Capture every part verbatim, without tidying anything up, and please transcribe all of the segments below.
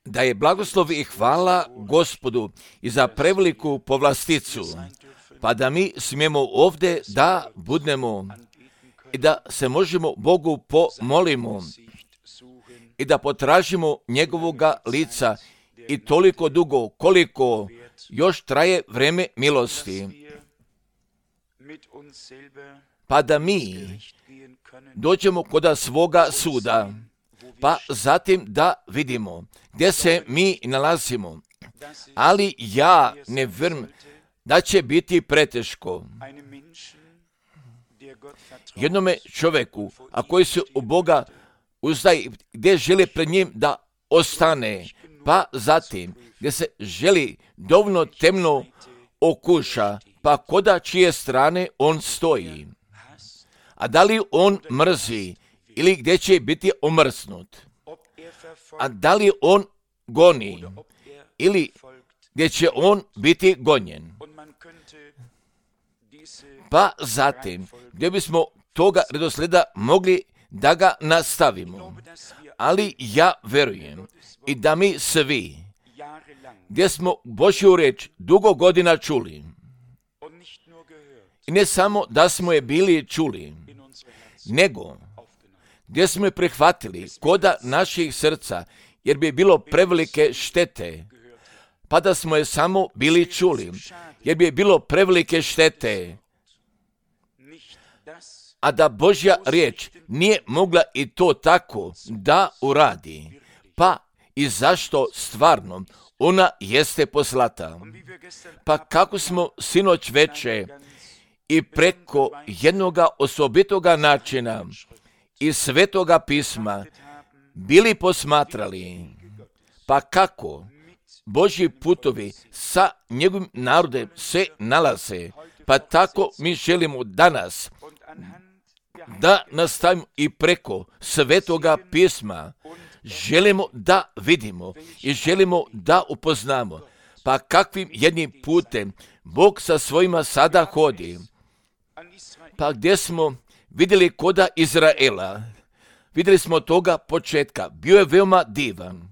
Da je blagoslov i hvala Gospodu i za preveliku povlasticu, pa da mi smijemo ovdje da budemo i da se možemo Bogu pomolimo i da potražimo njegovoga lica i toliko dugo koliko još traje vreme milosti, pa da mi dođemo kod svoga suda, pa zatim da vidimo gdje se mi nalazimo. Ali ja ne vjerujem da će biti preteško jednome čovjeku, a koji se u Boga uzdaje, gdje želi pred njim da ostane, pa zatim gdje se želi dovoljno temno okuša, pa koda čije strane on stoji. A da li on mrzi ili gdje će biti omrznut? A da li on goni ili gdje će on biti gonjen? Pa zatim, gdje bismo toga redoslijeda mogli da ga nastavimo. Ali ja verujem i da mi svi, gdje smo Božju riječ dugo godina čuli, i ne samo da smo je bili čuli, nego gdje smo je prihvatili koda naših srca, jer bi bilo prevelike štete, pa da smo je samo bili čuli, jer bi bilo prevelike štete, a da Božja riječ nije mogla i to tako da uradi, pa i zašto stvarno ona jeste poslata. Pa kako smo sinoć veče i preko jednoga osobitoga načina i svetoga pisma bili posmatrali, pa kako Božji putovi sa njegovim narodem se nalaze, pa tako mi želimo danas da nastavimo i preko svetoga pisma. Želimo da vidimo i želimo da upoznamo, pa kakvim jednim putem Bog sa svojima sada hodi. Pa gdje smo vidjeli koda Izraela, vidjeli smo toga početka, bio je veoma divan.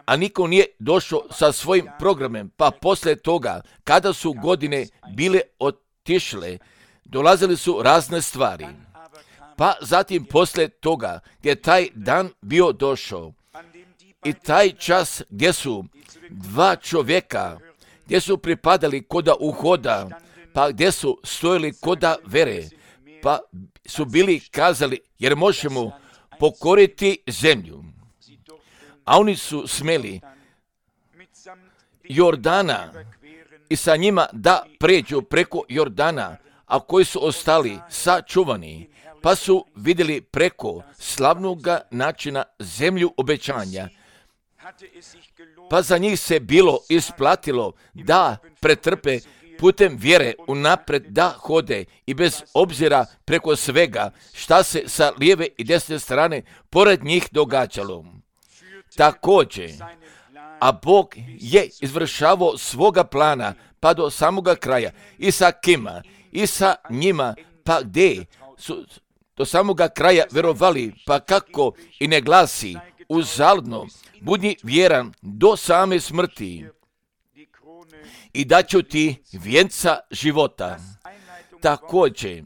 A niko nije došao sa svojim programem, pa poslije toga, kada su godine bile otišle, dolazili su razne stvari. Pa zatim poslije toga, gdje taj dan bio došao, i taj čas gdje su dva čovjeka, gdje su pripadali koda uhoda, pa gdje su stojili koda vere, pa su bili kazali, jer možemo pokoriti zemlju. A oni su smeli Jordana i sa njima da pređu preko Jordana, a koji su ostali sačuvani, pa su vidjeli preko slavnog načina zemlju obećanja. Pa za njih se bilo isplatilo da pretrpe putem vjere unapred da hode i bez obzira preko svega šta se sa lijeve i desne strane pored njih događalo. Također, a Bog je izvršavao svoga plana pa do samoga kraja i sa kima i sa njima, pa gdje su do samoga kraja vjerovali, pa kako i ne glasi uzaludno, budi vjeran do same smrti i dat ću ti vijenca života. Također,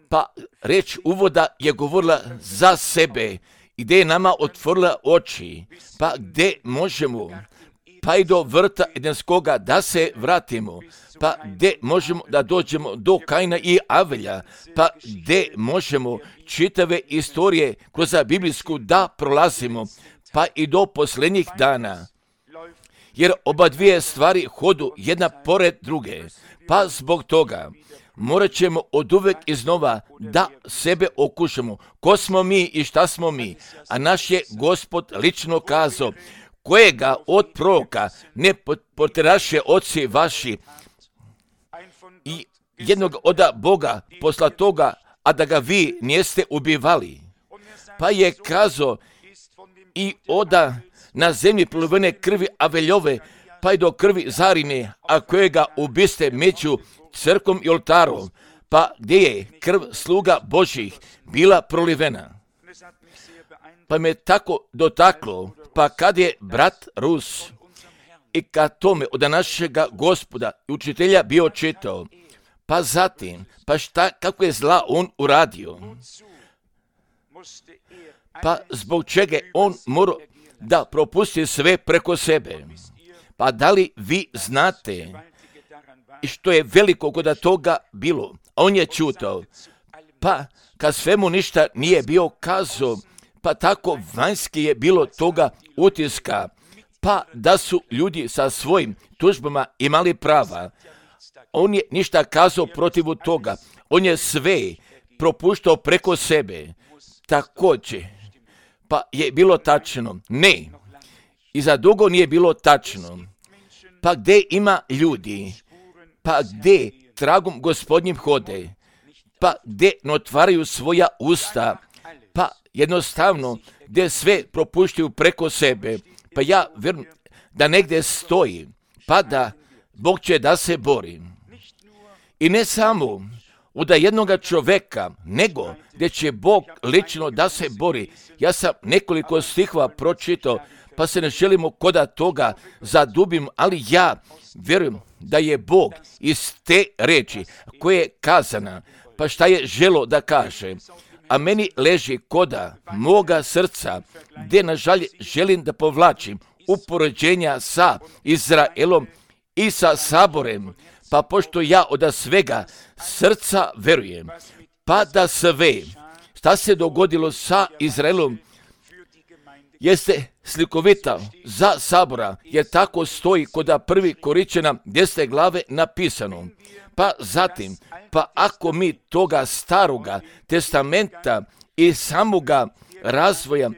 pa reč uvoda je govorila za sebe, gdje je nama otvorila oči, pa gdje možemo, pa i do vrta Edenskoga da se vratimo, pa gdje možemo da dođemo do Kaina i Avelja, pa gdje možemo čitave istorije kroz biblijsku da prolazimo, pa i do posljednjih dana. Jer oba dvije stvari hodu jedna pored druge, pa zbog toga morat ćemo od uvek iznova da sebe okušamo. Ko smo mi i šta smo mi? A naš je Gospod lično kazao, kojega od proroka ne poteraše oci vaši i jednog od Boga posla toga, a da ga vi nijeste ubivali. Pa je kazao i oda na zemlji prolivene krvi Aveljove, pa i do krvi Zarine, a kojega ubiste među crkom i oltarom, pa gdje je krv sluga Božjih bila prolivena. Pa me tako dotaklo, pa kad je brat Rus i kad tome od našega Gospoda i učitelja bio čitao, pa zatim, pa šta, kako je zla on uradio, pa zbog čega on mora da propusti sve preko sebe. Pa da li vi znate i što je veliko kod toga bilo? On je čutao, pa kad svemu ništa nije bio kazao, pa tako vanjski je bilo toga utiska, pa da su ljudi sa svojim tužbama imali prava. On je ništa kazao protiv toga, on je sve propuštao preko sebe. Također, pa je bilo tačno, ne, i za dugo nije bilo tačno. Pa gdje ima ljudi, pa gdje tragom Gospodnjim hode, pa gdje ne otvaraju svoja usta, pa jednostavno gdje sve propuštaju preko sebe, pa ja vjerujem da negdje stoji, pa da Bog će da se bori. I ne samo od jednoga čovjeka, nego gdje će Bog lično da se bori. Ja sam nekoliko stihova pročitao, pa se ne želimo koda toga zadubim, ali ja vjerujem da je Bog iz te reči koje je kazana, pa šta je želo da kaže, a meni leži koda moga srca, gdje nažalje želim da povlačim upoređenja sa Izraelom i sa Saborem, pa pošto ja od svega srca verujem, pa da sve šta se dogodilo sa Izraelom jeste slikovita za Sabora, jer tako stoji kod prvi Koričana desete glave napisano. Pa zatim, pa ako mi toga staroga testamenta i samoga razvoja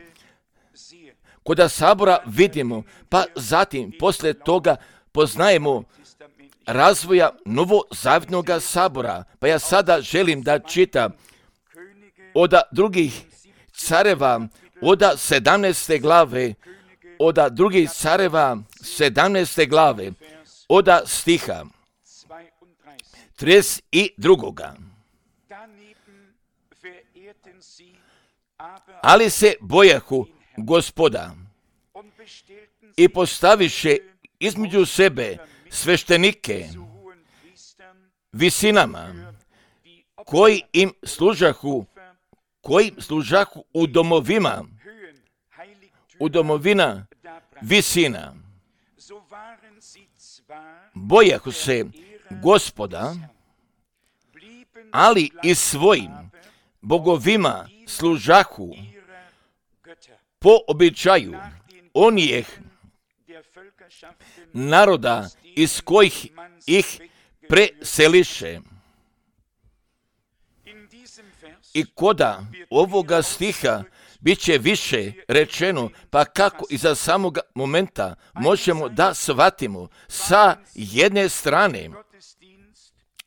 kod Sabora vidimo, pa zatim posle toga poznajemo razvoja novozavjetnog Sabora. Pa ja sada želim da čitam od drugih careva, od sedamnaeste glave, od drugih careva sedamnaeste glave, od stiha trideset drugoga. Ali se bojahu Gospoda i postaviše između sebe sveštenike visinama koji im služahu, koji služahu u domovima, u domovina visina. Bojahu se Gospoda, ali i svojim bogovima služahu po običaju onih naroda iz kojih ih preseliše. I koda ovoga stiha bit će više rečeno, pa kako i za samoga momenta možemo da shvatimo. Sa jedne strane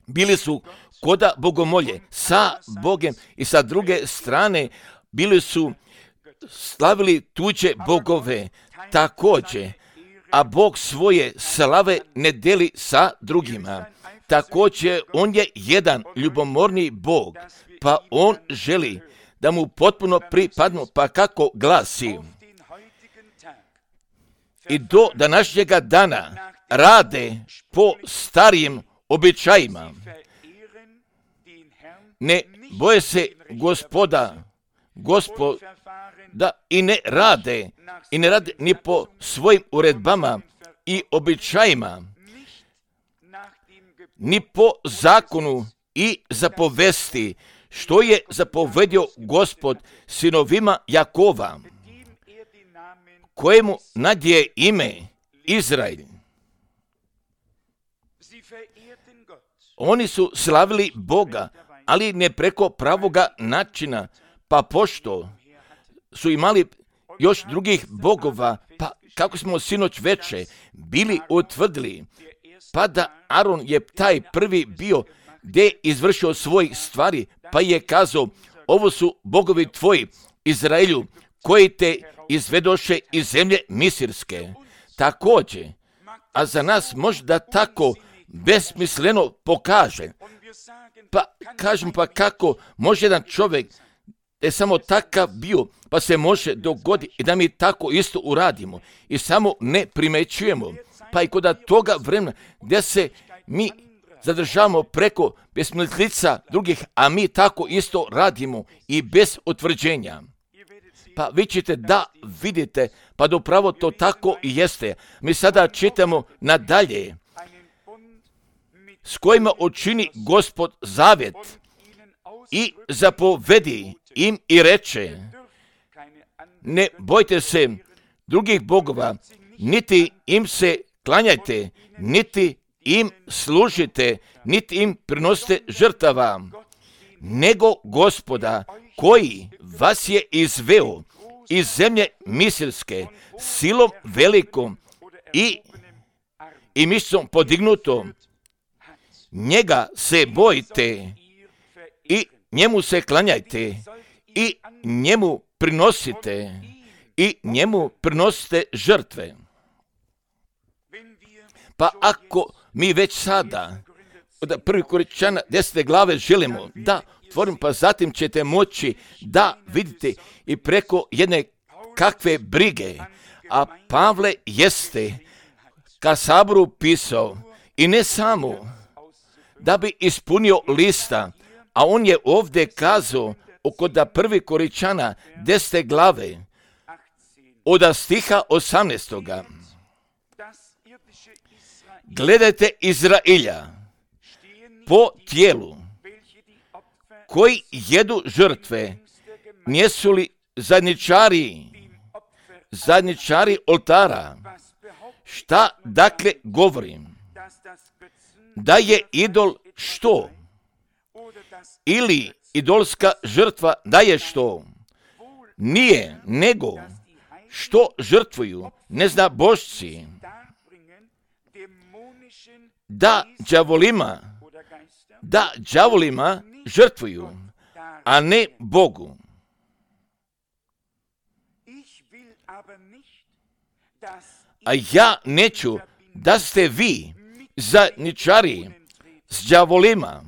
bili su koda bogomolje sa Bogem i sa druge strane bili su slavili tuđe bogove također, a Bog svoje slave ne deli sa drugima. Također, on je jedan ljubomorni Bog, pa on želi da mu potpuno pripadnu, pa kako glasi. I do današnjega dana rade po starijim običajima. Ne boje se Gospoda, Gospoda i ne rade, i ne rade ni po svojim uredbama i običajima, ni po zakonu i zapovesti, što je zapovedio Gospod sinovima Jakova, kojemu nadje ime Izrael. Oni su slavili Boga, ali ne preko pravoga načina, pa pošto su imali još drugih bogova, pa kako smo sinoć veče bili utvrdili, pa da Aron je taj prvi bio gdje je izvršio svoj stvari, pa je kazao, ovo su bogovi tvoji, Izraelju, koji te izvedoše iz zemlje Misirske. Također, a za nas možda tako besmisleno pokaže, Pa kažem, pa kako može jedan čovjek da je samo takav bio, pa se može dogoditi i da mi tako isto uradimo i samo ne primećujemo. Pa i kod toga vremena gdje se mi zadržavamo preko besmislica drugih, a mi tako isto radimo i bez utvrđenja. Pa vi ćete da vidite, pa da upravo to tako i jeste. Mi sada čitamo nadalje, s kojima učini Gospod zavjet i zapovedi im i reče, ne bojte se drugih bogova, niti im se klanjajte, niti im služite, niti im prinosite žrtava, nego Gospoda koji vas je izveo iz zemlje Misirske silom velikom i, i mišicom podignutom. Njega se bojite i njemu se klanjajte i njemu prinosite i njemu prinosite žrtve. Pa ako mi već sada od prvi Korinčana desete glave želimo da otvorim, pa zatim ćete moći da vidite i preko jedne kakve brige, a Pavle jeste ka saboru pisao i ne samo da bi ispunio lista, a on je ovdje kazao oko da prvi Korinčana desete glave od stiha osamnaestoga. Gledajte Izraelja po tijelu, koji jedu žrtve, nijesu li zajedničari, zajedničari oltara? Šta dakle govorim? Da je idol što? Ili idolska žrtva da je što? Nije, nego što žrtvuju neznabošci, da đavolima, da đavolima žrtvuju, a ne Bogu. A ja neću da ste vi zajedničari s đavolima.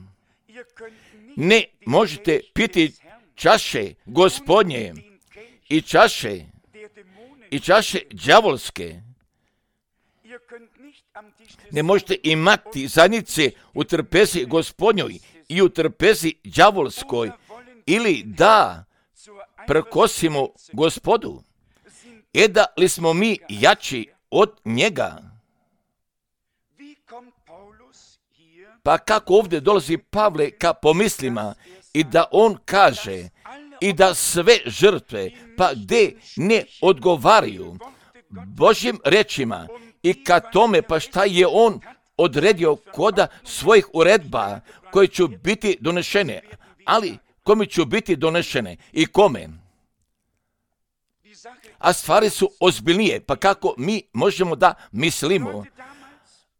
Ne možete piti čaše Gospodnje i čaše i čaše đavolske. Ne možete imati zajednice u trpezi Gospodnjoj i u trpezi đavolskoj, ili da prkosimo Gospodu. E da li smo mi jači od njega? Pa kako ovdje dolazi Pavle ka pomislima i da on kaže i da sve žrtve, pa gdje ne odgovaraju Božjim rečima i ka tome, pa šta je on odredio koda svojih uredba koje će biti donešene, ali kome će biti donešene i kome? A stvari su ozbiljnije, pa kako mi možemo da mislimo?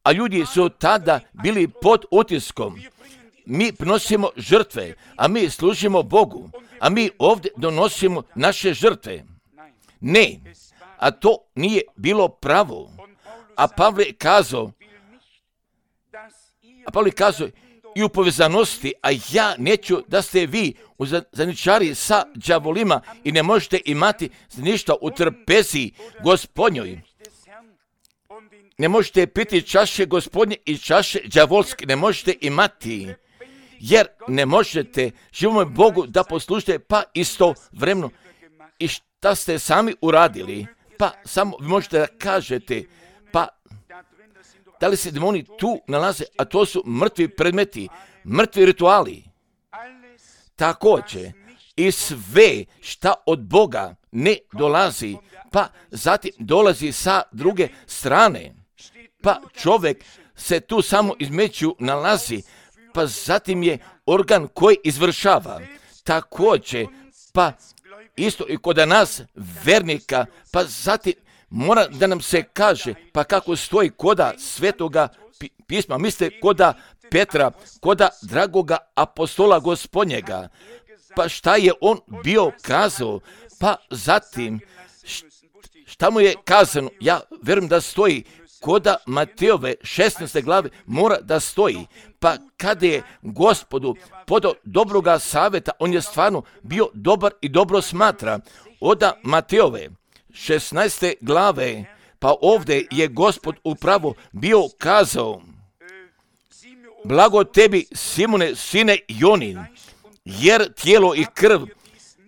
A ljudi su tada bili pod utiskom. Mi prinosimo žrtve, a mi služimo Bogu, a mi ovdje donosimo naše žrtve. Ne, a to nije bilo pravo. A Pavle je kazao, a Pavle je kazao i u povezanosti, a ja neću da ste vi u zajedničari sa đavolima i ne možete imati ništa u trpezi Gospodnjoj. Ne možete piti čaše Gospodnje i čaše đavolske, ne možete imati, jer ne možete živome Bogu da poslužite, pa isto vremeno. I šta ste sami uradili? Pa samo vi možete da kažete, pa da li se demoni tu nalaze, a to su mrtvi predmeti, mrtvi rituali. Također i sve šta od Boga ne dolazi, pa zatim dolazi sa druge strane. Pa čovjek se tu samo između nalazi, pa zatim je organ koji izvršava. Također, pa isto i kod nas vernika, pa zatim mora da nam se kaže, pa kako stoji koda svetoga pisma, mislite koda Petra, koda dragoga apostola Gospodnjega, pa šta je on bio kazao, pa zatim šta mu je kazano, ja verujem da stoji koda Matejove šesnaeste glave mora da stoji. Pa kada je Gospodu podao dobroga savjeta, on je stvarno bio dobar i dobro smatra. Oda Matejove šesnaeste glave, pa ovdje je Gospod upravo bio kazao: blago tebi, Simone, sine Jonin, jer tijelo i krv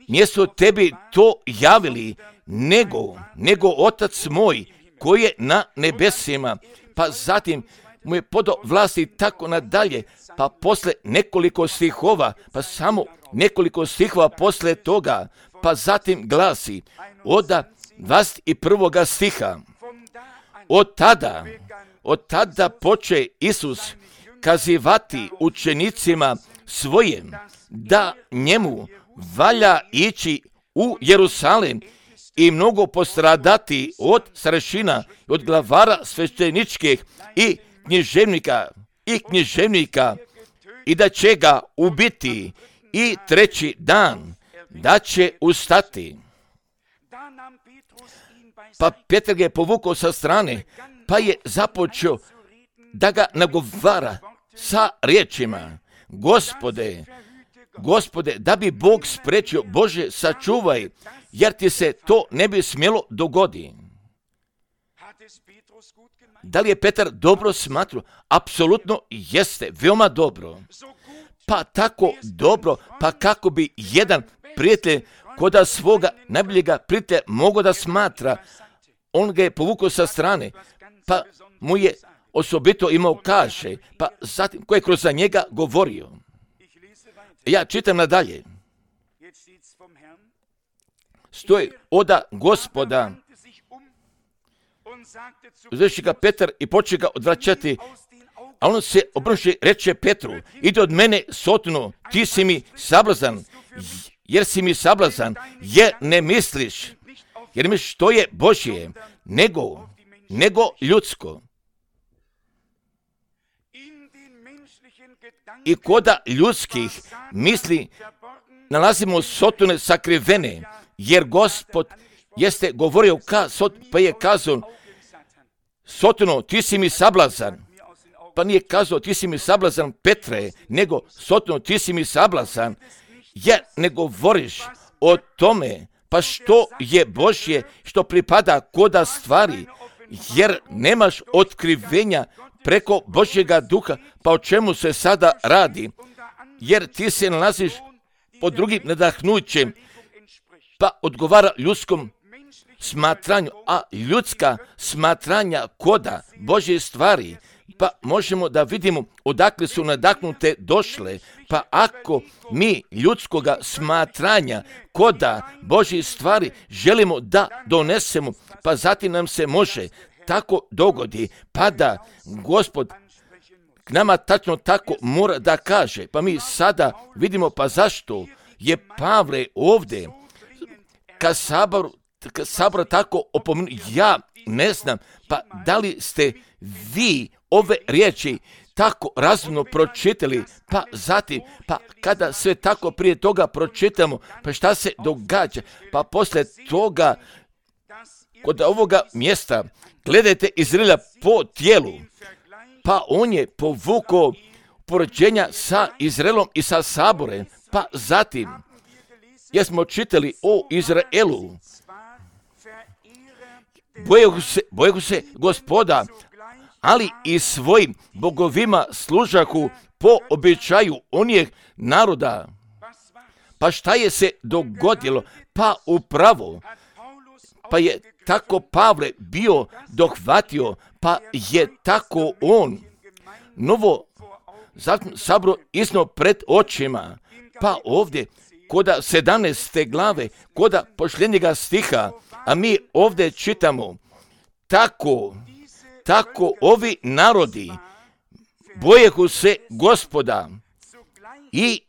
mjesto tebi to javili, nego, nego Otac moj koji je na nebesima. Pa zatim mu je podao vlasti tako nadalje, pa posle nekoliko stihova, pa samo nekoliko stihova posle toga, pa zatim glasi od dvadeset prvog stiha: od tada, od tada poče Isus kazivati učenicima svojim da njemu valja ići u Jerusalem i mnogo postradati od starešina, od glavara svešteničkih i književnika i književnika i da će ga ubiti i treći dan da će ustati. Pa Petar ga je povukao sa strane, pa je započeo da ga nagovara sa riječima: Gospode, Gospode, da bi Bog spriječio, Bože, sačuvaj, jer ti se to ne bi smjelo dogoditi. Da li je Petar dobro smatrao? Apsolutno jeste, veoma dobro. Pa tako dobro, pa kako bi jedan prijatelj koda svoga najboljega prijatelja mogao da smatra. On ga je povukao sa strane, pa mu je osobito imao kaže, pa zatim ko je kroz za njega govorio. Ja čitam nadalje. Stoji oda Gospoda. Uzreši ga Petar i počne ga odvraćati, a on se obrnuši reče Petru: ide od mene, Sotonu, ti si mi sablazan, jer si mi sablazan, jer ne misliš, jer misliš što je Božje, nego, nego ljudsko. I koda ljudskih misli nalazimo Sotone sakrivene, jer Gospod jeste govorio ka Sot, pa je kazao: Sotono, ti si mi sablazan. Pa nije kazao ti si mi sablazan Petre, nego Sotono, ti si mi sablazan, jer ne govoriš o tome pa što je Božje, što pripada koda stvari, jer nemaš otkrivenja preko Božjega duha, pa o čemu se sada radi, jer ti se nalaziš pod drugim nadahnućem, pa odgovara ljudskom smatranju, a ljudska smatranja koda Božje stvari, pa možemo da vidimo odakle su nadahnute došle. Pa ako mi ljudskoga smatranja koda Božje stvari želimo da donesemo, pa zatim nam se može tako dogodi, pa da Gospod k nama tačno tako mora da kaže. Pa mi sada vidimo, pa zašto je Pavle ovdje ka saboru, ka saboru tako opomenu. Ja ne znam, pa da li ste vi ove riječi tako razumno pročitali, pa zatim, pa kada sve tako prije toga pročitamo, pa šta se događa, pa poslije toga kod ovoga mjesta gledajte Izraela po tijelu, pa on je povukao poređenja sa Izraelom i sa saborem, pa zatim jesmo čitali o Izraelu. Bojehu se, bojehu se Gospoda, ali i svojim bogovima služahu po običaju onih naroda. Pa šta je se dogodilo? Pa upravo, pa je tako Pavle bio dohvatio, pa je tako on novo sabro isno pred očima. Pa ovdje, koda sedamnaeste glave, koda posljednjega stiha, a mi ovdje čitamo: tako, tako ovi narodi bojehu se Gospoda i,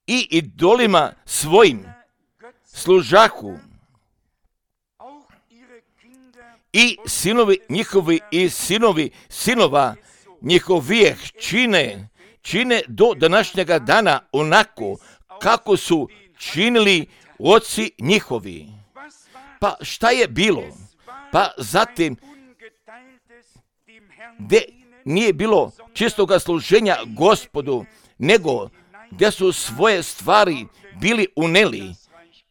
i idolima svojim služahu, i sinovi njihovi i sinovi sinova njihovijeh čine, čine do današnjega dana onako kako su činili oci njihovi. Pa šta je bilo? Pa zatim gdje nije bilo čistoga služenja Gospodu, nego gdje su svoje stvari bili uneli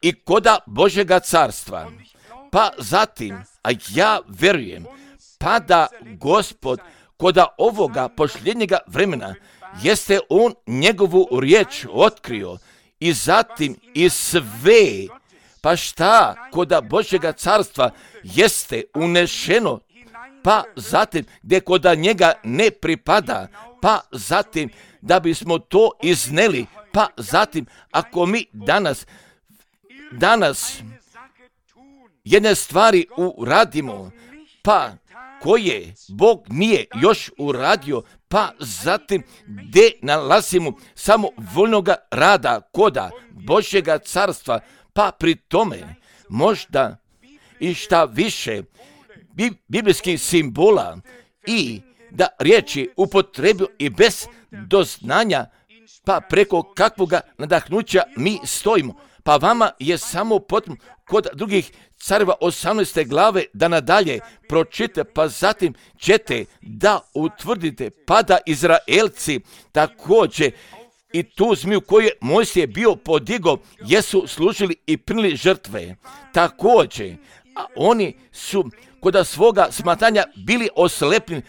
i koda Božjega carstva. Pa zatim, a ja verujem, pa da Gospod koda ovoga posljednjega vremena jeste on njegovu riječ otkrio i zatim i sve, pa šta koda Božjega carstva jeste unešeno, pa zatim gdje koda njega ne pripada, pa zatim da bismo to izneli, pa zatim ako mi danas, danas jedne stvari uradimo, pa koje Bog nije još uradio, pa zatim gdje nalazimo samo voljnoga rada koda Božjega carstva, pa pri tome možda i šta više biblijskih simbola i da riječi upotrebio i bez doznanja, pa preko kakvoga nadahnuća mi stojimo. Pa vama je samo potrebno kod drugih careva osamnaeste glave da nadalje pročite, pa zatim ćete da utvrdite, pa da Izraelci također i tu zmiju koju je Mojsije bio podigao, jesu služili i primili žrtve. Također, a oni su kod svoga smatanja bili oslepljeni,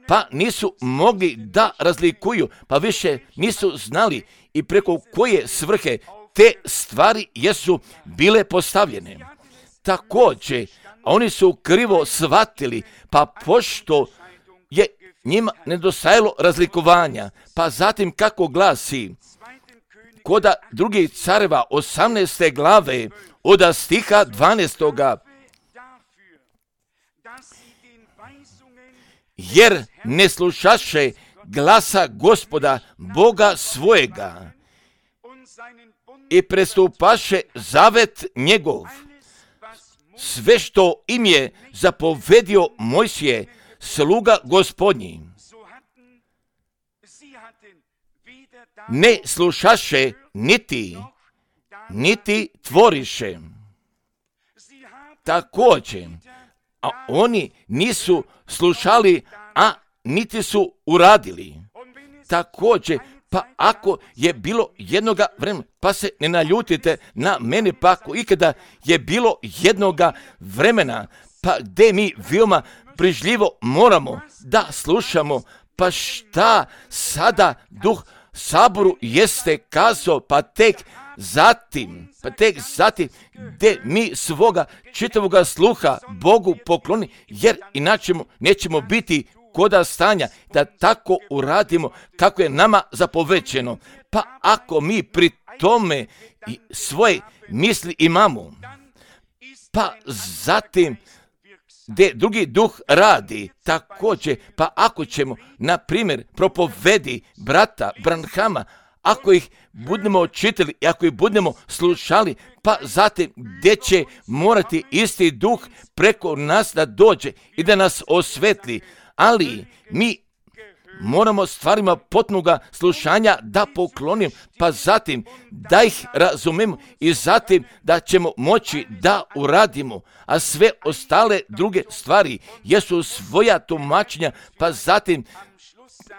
pa nisu mogli da razlikuju, pa više nisu znali i preko koje svrhe te stvari jesu bile postavljene. Također, oni su krivo shvatili, pa pošto je njima nedostajalo razlikovanja, pa zatim kako glasi koda drugih careva osamnaeste glave od stiha dvanaestoga. Jer ne slušaše glasa Gospoda Boga svojega i prestupaše zavet njegov, sve što im je zapovedio Mojsije, sluga Gospodnji. Ne slušaše niti, niti tvoriše. Također, a oni nisu slušali, a niti su uradili. Također, pa ako je bilo jednoga vremena, pa se ne naljutite na mene, pa ako ikada je bilo jednoga vremena, pa gdje mi veoma brižljivo moramo da slušamo, pa šta sada Duh Saboru jeste kazao, pa tek zatim, pa tek zatim gdje mi svoga čitavoga sluha Bogu pokloni, jer inače nećemo biti koda stanja da tako uradimo kako je nama zapovećeno. Pa ako mi pri tome svoje misli imamo, pa zatim gdje drugi duh radi također, pa ako ćemo, na primjer, propovedi brata Branhama, ako ih budemo čitali i ako ih budemo slušali, pa zatim gdje će morati isti duh preko nas da dođe i da nas osvetli, ali mi moramo stvarima potpunoga slušanja da poklonim, pa zatim da ih razumemo i zatim da ćemo moći da uradimo, a sve ostale druge stvari jesu svoja tumačenja, pa zatim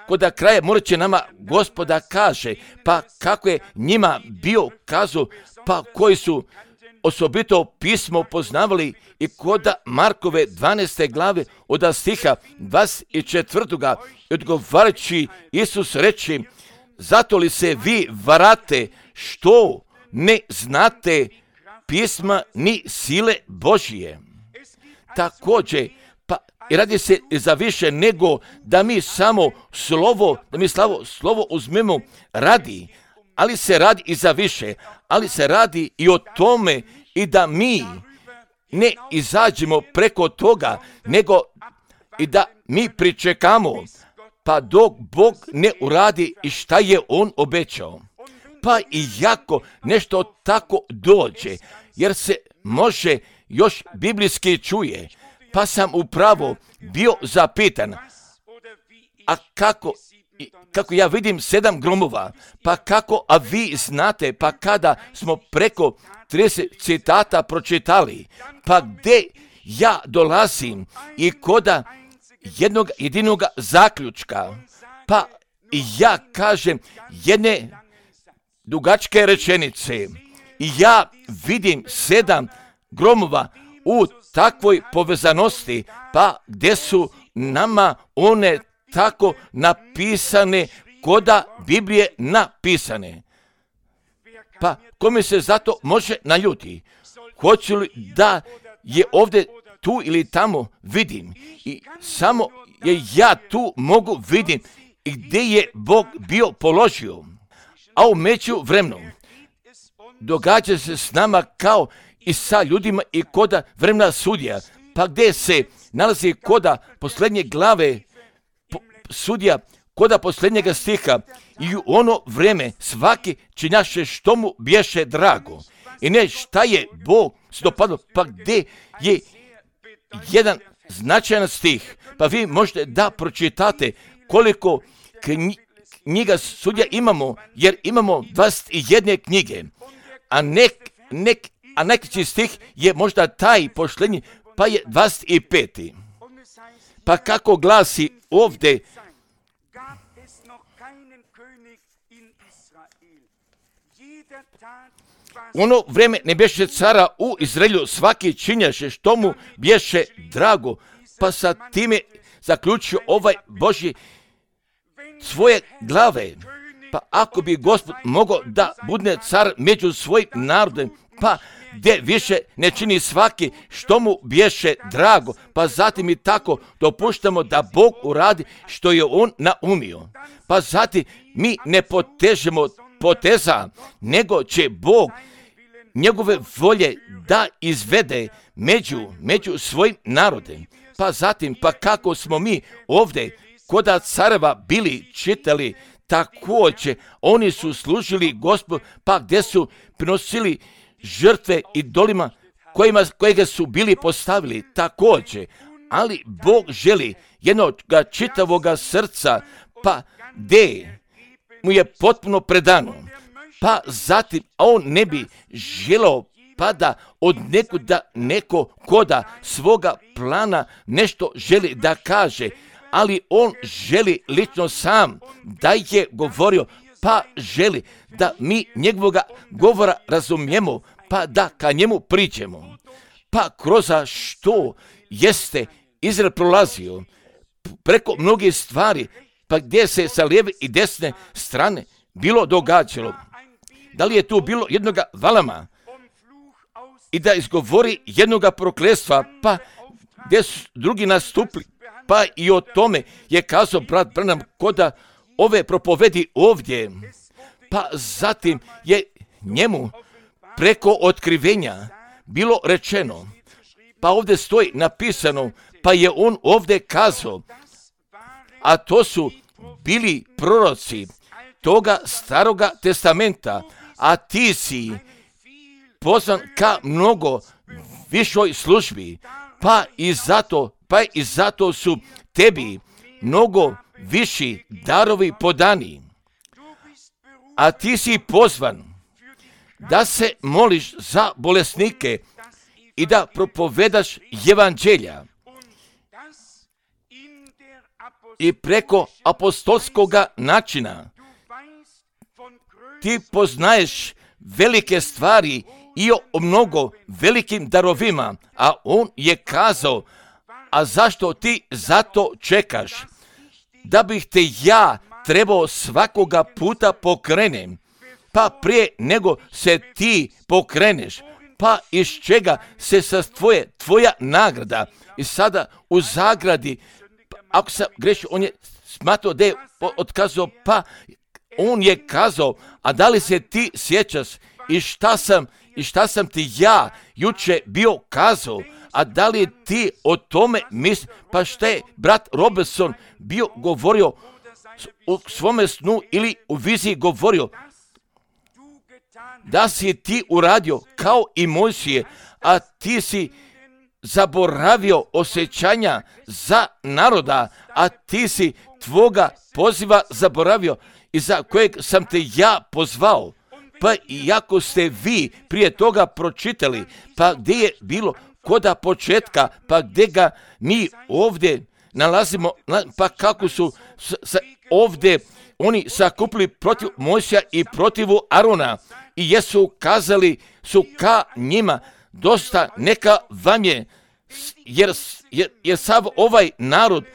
kod kraja morat će nama Gospoda kaže, pa kako je njima bio kazao, pa koji su osobito pismo poznavali i kod Markove dvanaeste glave od stiha dvadeset četvrtoga i odgovarajući Isus reče, zato li se vi varate što ne znate pisma ni sile Božije. Također, pa i radi se za više nego da mi samo slovo, da mi slavo, slovo uzmemo radi, ali se radi i za više, ali se radi i o tome i da mi ne izađemo preko toga, nego i da mi pričekamo, pa dok Bog ne uradi i šta je On obećao. Pa i jako nešto tako dođe, jer se može još biblijski čuje, pa sam upravo bio zapitan, a kako, kako ja vidim sedam gromova, pa kako, a vi znate, pa kada smo preko trideset citata pročitali, pa gdje ja dolazim i koda jednog jedinog zaključka. Pa ja kažem jedne dugačke rečenice. I ja vidim sedam gromova u takvoj povezanosti, pa gdje su nama one tako napisane, koda Biblije napisane. Pa kome se zato može naljuti? Hoću li da je ovdje tu ili tamo vidim i samo je ja tu mogu vidim i gdje je Bog bio položio. A u međuvremenu događa se s nama kao i sa ljudima i koda vremena sudija, pa gdje se nalazi koda posljednje glave po, sudija, koda posljednjega stiha i u ono vrijeme svaki činjaše što mu bješe drago. I ne šta je Bog se dopadlo, pa gdje je jedan značajan stih, pa vi možete da pročitate koliko knjiga sudija imamo, jer imamo dvadeset jedne knjige, a nek, nek, a neki stih je možda taj posljednji, pa je dvadeset peti. Pa kako glasi ovdje, ono vrijeme ne bješe cara u Izraelju, svaki činjaše što mu bješe drago, pa sa time zaključio ovaj Božji svoje glave. Pa ako bi Gospod mogao da budne car među svojim narodom, pa gdje više ne čini svaki što mu bješe drago, pa zatim i tako dopuštamo da Bog uradi što je on naumio. Pa zatim mi ne potežemo poteza, nego će Bog njegove volje da izvede među, među svojim narodem. Pa zatim, pa kako smo mi ovdje koda careva bili čitali, također oni su služili Gospodu, pa gdje su prinosili žrtve idolima kojima, kojega su bili postavili također. Ali Bog želi jednog čitavoga srca, pa gdje mu je potpuno predano. Pa zatim on ne bi želeo pa da od nekuda neko koda svoga plana nešto želi da kaže, ali on želi lično sam da je govorio, pa želi da mi njegovoga govora razumijemo, pa da ka njemu priđemo. Pa kroz što jeste Izrael prolazio preko mnogih stvari, pa gdje se sa lijeve i desne strane bilo događalo. Da li je tu bilo jednoga Valama i da izgovori jednoga prokletstva, pa gdje su drugi nastupili, pa i o tome je kazao brat Branham koda ove propovedi ovdje. Pa zatim je njemu preko otkrivenja bilo rečeno, pa ovdje stoji napisano, pa je on ovdje kazao, a to su bili proroci toga staroga testamenta, a ti si pozvan ka mnogo višoj službi, pa i zato, pa i zato su tebi mnogo viši darovi podani. A ti si pozvan da se moliš za bolesnike i da propovedaš evanđelja. I preko apostolskoga načina ti poznaješ velike stvari i o mnogo velikim darovima, a on je kazao, a zašto ti zato čekaš? Da bih te ja trebao svakoga puta pokrenem, pa prije nego se ti pokreneš, pa iz čega se sastoje tvoja nagrada. I sada u zagradi, ako sam grešio, on je smatrao da je otkazao, pa on je kazao, a da li se ti sjećaš i šta sam, i šta sam ti ja juče bio kazao, a da li ti o tome misliš? Pa šta je brat Robertson bio govorio u svome snu ili u viziji govorio? Da si ti uradio kao i Mojsije, a ti si zaboravio osjećanja za naroda, a ti si tvoga poziva zaboravio i za kojeg sam te ja pozvao. Pa iako ste vi prije toga pročitali, pa gdje je bilo koda početka, pa gdje ga mi ovdje nalazimo, pa kako su s, s, ovdje oni sakupili protiv Mojsija i protiv Arona i jesu kazali su ka njima, dosta neka vam je, jer, jer, jer sav ovaj narod,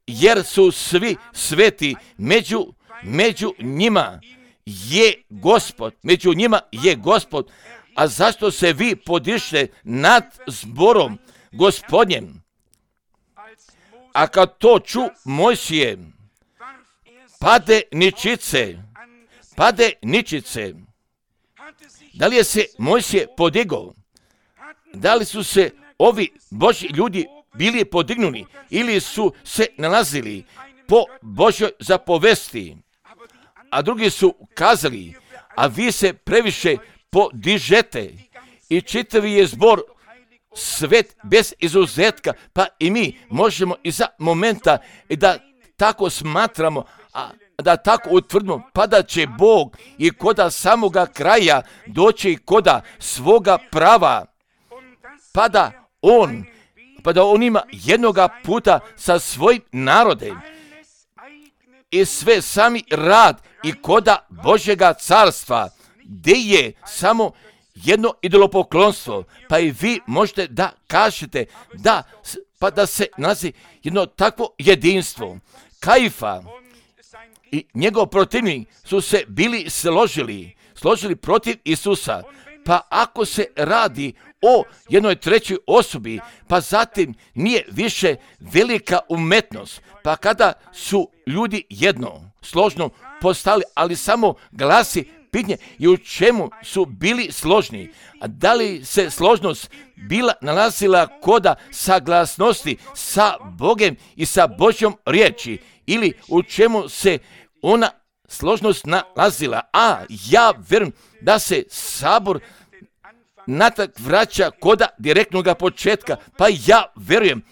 jer su svi sveti, među, među njima je Gospod, među njima je Gospod, a zašto se vi podište nad zborom Gospodnjem? A kad to ču Mojsije, pade ničice, pade ničice. Da li je se Mojsije podigao? Da li su se ovi Božji ljudi bili podignuli ili su se nalazili po Božjoj zapovesti? A drugi su kazali, a vi se previše podižete i čitavi je zbor svet bez izuzetka, pa i mi možemo iza momenta da tako smatramo, a da tako utvrdimo, pa da će Bog i koda samoga kraja doći koda svoga prava, pa da On, pa da On ima jednoga puta sa svojim narodem i sve sami rad i koda Božjega carstva, gdje je samo jedno idolopoklonstvo, pa i vi možete da kažete da, pa da se nalazi jedno takvo jedinstvo. Kajfa i njegov protivnik su se bili složili, složili protiv Isusa, pa ako se radi o jednoj trećoj osobi, pa zatim nije više velika umetnost, pa kada su ljudi jedno, složno postali, ali samo glasi pitanje i u čemu su bili složni, a da li se složnost bila nalazila koda saglasnosti sa Bogem i sa Božjom riječi, ili u čemu se ona složnost nalazila. A ja vjerujem da se sabor natrag vraća koda direktnog početka, pa ja vjerujem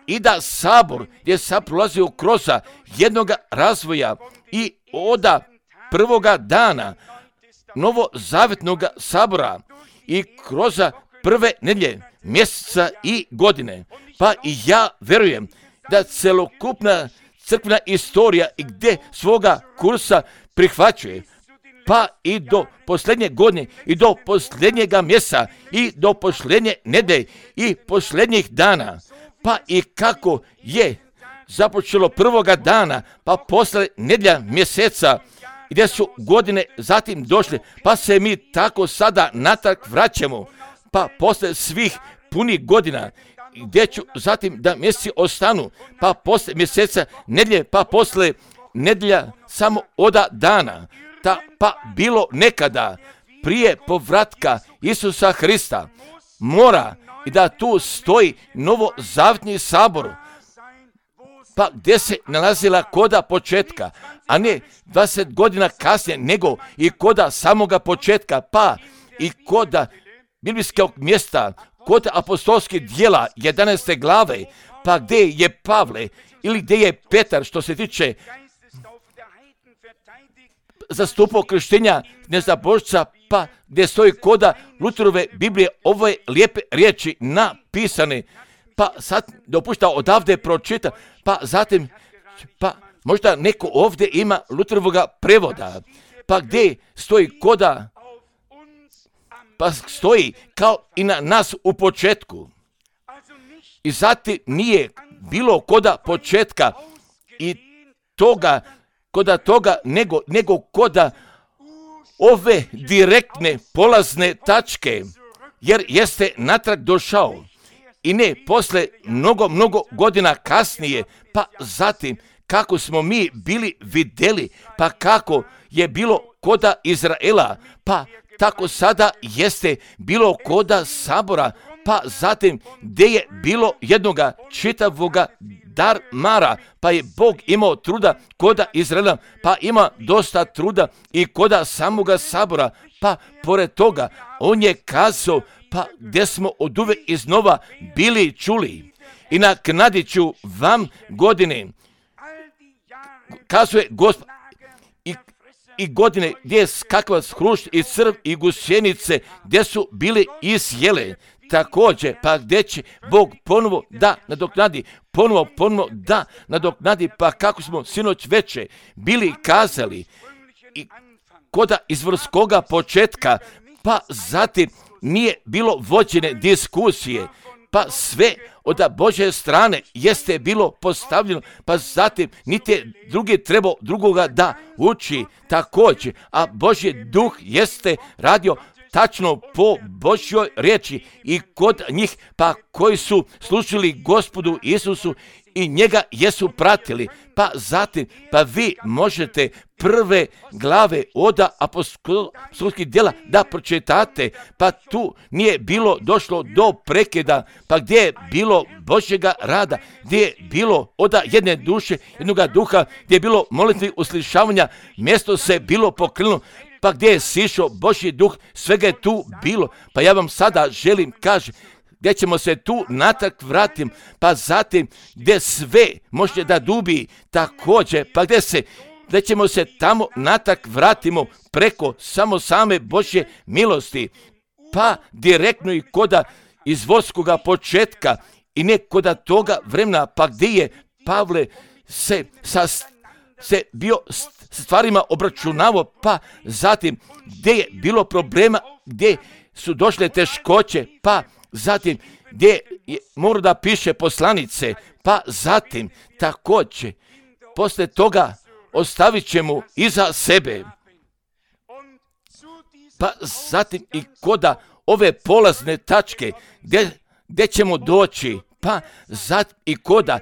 i da sabor je sad prolazio kroz jednoga razvoja i oda prvoga dana novozavjetnog sabora i kroz prve nedjelje mjeseca i godine. Pa i ja vjerujem da celokupna crkvena istorija i gdje svoga kursa prihvaćuje, pa i do posljednje godine i do posljednjega mjeseca i do posljednje nedjelje i posljednjih dana, pa i kako je započelo prvoga dana, pa posle nedjelja mjeseca, gdje su godine zatim došle, pa se mi tako sada natrag vraćamo, pa posle svih punih godina, gdje ću zatim da mjeseci ostanu, pa posle mjeseca nedjelje, pa posle nedjelja samo oda dana, ta, pa bilo nekada prije povratka Isusa Hrista, mora i da tu stoji novozavjetni sabor, pa gdje se nalazila koda početka, a ne dvadeset godina kasnije, nego i koda samoga početka, pa i koda biblijskog mjesta, kod apostolskih djela jedanaeste glave, pa gdje je Pavle ili gdje je Petar, što se tiče zastupao krštenja nezabožca, pa gdje stoji koda Luterove Biblije ove lijepe riječi napisane, pa sad dopušta odavde pročita, pa zatim, pa možda neko ovdje ima Luterovoga prevoda, pa gdje stoji koda, pa stoji kao i na nas u početku. I zatim nije bilo koda početka i toga, koda toga, nego, nego koda ove direktne polazne tačke, jer jeste natrag došao. I ne posle mnogo, mnogo godina kasnije, pa zatim kako smo mi bili vidjeli, pa kako je bilo koda Izraela, pa tako sada jeste bilo koda sabora, pa zatim gdje je bilo jednoga čitavoga darmara, pa je Bog imao truda koda Izraela, pa ima dosta truda i koda samoga sabora, pa pored toga on je kazao, pa gdje smo oduvek iznova bili čuli. I naknadit ću vam godine, kazuje Gospod, i, i godine gdje je skakavac, hrušt i crv i gusjenice gdje su bili isjele. Također, pa gdje će Bog ponovo da nadoknadi, ponovo, ponovo da nadoknadi, pa kako smo sinoć veče bili kazali, i koda izvorskoga početka, pa zatim nije bilo vođene diskusije, pa sve od Božje strane jeste bilo postavljeno, pa zatim niti je drugi trebao drugoga da uči također, a Božji duh jeste radio tačno po Božjoj riječi i kod njih, pa koji su slušali Gospodu Isusu i njega jesu pratili. Pa zatim, pa vi možete prve glave od apostolskih djela da pročitate, pa tu nije bilo došlo do prekida, pa gdje je bilo Božjega rada, gdje je bilo od jedne duše, jednoga duha, gdje je bilo molitvi uslišavanja, mjesto se bilo pokrilo, pa gdje je sišao Božji duh, svega je tu bilo. Pa ja vam sada želim kažem, gdje ćemo se tu natrag vratim, pa zatim gdje sve može da dubi također, pa gdje se, gdje ćemo se tamo natrag vratimo preko samo same Božje milosti, pa direktno i koda izvorskoga početka i ne koda toga vremena, pa gdje je Pavle se sa se bio s stvarima obračunavao, pa zatim gdje je bilo problema, gdje su došle teškoće, pa zatim gdje je mora da piše poslanice, pa zatim također posle toga ostavit ćemo iza sebe, pa zatim i koda ove polazne tačke gdje, gdje ćemo doći, pa zatim i koda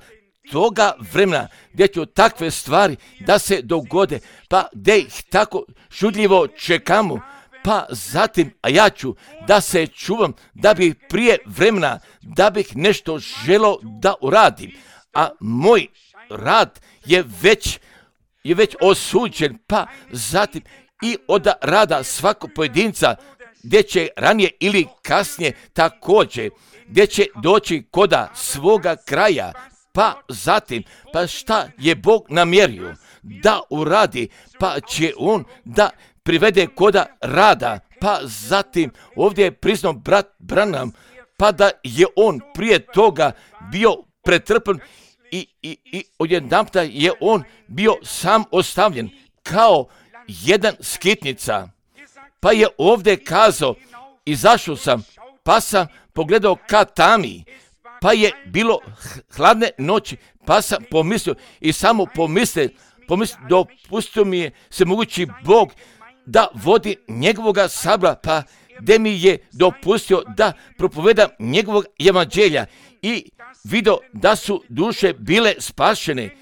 toga vremena gdje ću takve stvari da se dogode, pa gdje ih tako šudljivo čekamo, pa zatim, a ja ću da se čuvam da bih prije vremena, da bih nešto želio da uradim, a moj rad je već, je već osuđen, pa zatim i od rada svakog pojedinca, gdje će ranije ili kasnije također, gdje će doći koda svoga kraja, pa zatim, pa šta je Bog namjerio da uradi, pa će on da privede koda rada, pa zatim ovdje je priznao brat Branham, pa da je on prije toga bio pretrpen i, i, i odjedanputa je on bio sam ostavljen kao jedan skitnica, pa je ovdje kazao, izašao sam, pa sam pogledao ka tami, pa je bilo hladne noći, pa sam pomislio i samo pomislio, pomislio dopustio mi je se mogući Bog da vodi njegovoga sabora, pa gdje mi je dopustio da propovedam njegovog evanđelja i vidio da su duše bile spašene.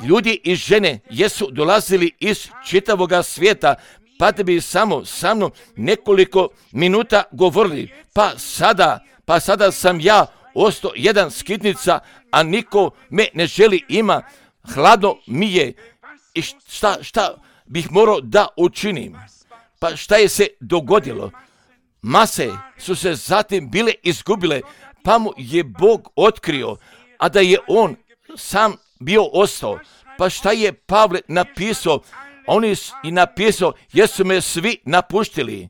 Ljudi i žene jesu dolazili iz čitavoga svijeta, pa da bi samo sa mnom nekoliko minuta govorili, pa sada, pa sada sam ja ostao jedan skitnica, a niko me ne želi ima, hladno mi je i šta, šta bih morao da učinim. Pa šta je se dogodilo? Mase su se zatim bile izgubile, pa mu je Bog otkrio, a da je on sam bio ostao. Pa šta je Pavle napisao? On je i napisao, jesu me svi napuštili.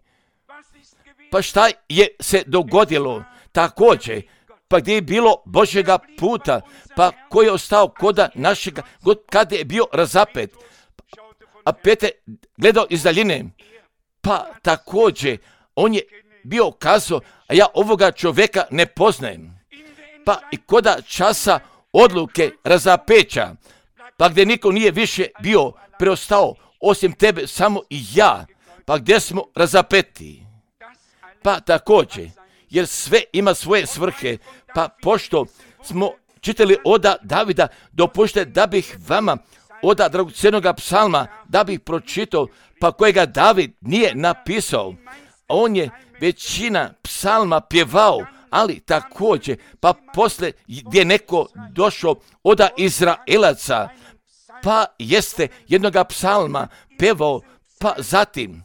Pa šta je se dogodilo? Također, pa gdje je bilo Božjega puta, pa koji je ostao koda našega, kada je bio razapet. A Petar gledao iz daljine, pa također on je bio kazao, a ja ovoga čovjeka ne poznajem. Pa i koda časa odluke razapeća, pa gdje niko nije više bio preostao, osim tebe samo i ja, pa gdje smo razapeti. Pa također, jer sve ima svoje svrhe, pa pošto smo čitali oda Davida, dopušte da bih vama oda dragocjenoga psalma, da bih pročitao, pa kojega David nije napisao. On je većina psalma pjevao, ali također, pa posle gdje neko došao oda Izraelaca, pa jeste jednoga psalma pjevao, pa zatim